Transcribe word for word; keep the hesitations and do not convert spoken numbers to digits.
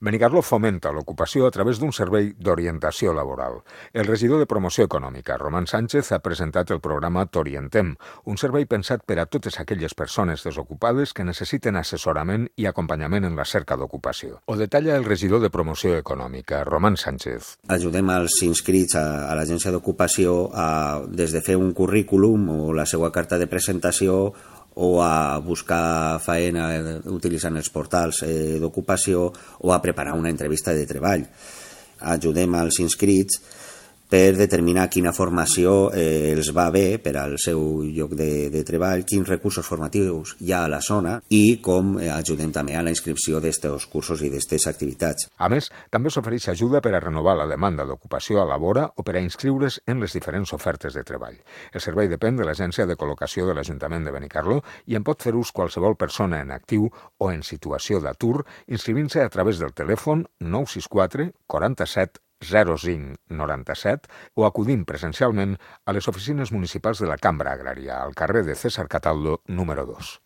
Benicarló fomenta l'ocupació a través d'un servei d'orientació laboral. El regidor de Promoció Econòmica, Román Sánchez, ha presentat el programa T'Orientem, un servei pensat per a totes aquelles persones desocupades que necessiten assessorament i acompanyament en la cerca d'ocupació. Ho detalla el regidor de Promoció Econòmica, Román Sánchez. Ajudem als inscrits a, a l'agència d'ocupació a, des de fer un currículum o la seva carta de presentació o a buscar feina utilitzant els portals eh, d'ocupació o a preparar una entrevista de treball. Ajudem als inscrits per determinar quina formació eh, els va bé per al seu lloc de, de treball, quins recursos formatius hi ha a la zona i com eh, ajudem també a la inscripció d'aquests cursos i d'aquestes activitats. A més, també s'ofereix ajuda per a renovar la demanda d'ocupació a la vora o per a inscriure's en les diferents ofertes de treball. El servei depèn de l'Agència de Col·locació de l'Ajuntament de Benicarló i en pot fer ús qualsevol persona en actiu o en situació d'atur inscrivint-se a través del telèfon nou sis quatre quaranta-set zero cinc noranta-set o acudint presencialment a les oficines municipals de la Cambra Agrària, al carrer de César Cataldo, número dos.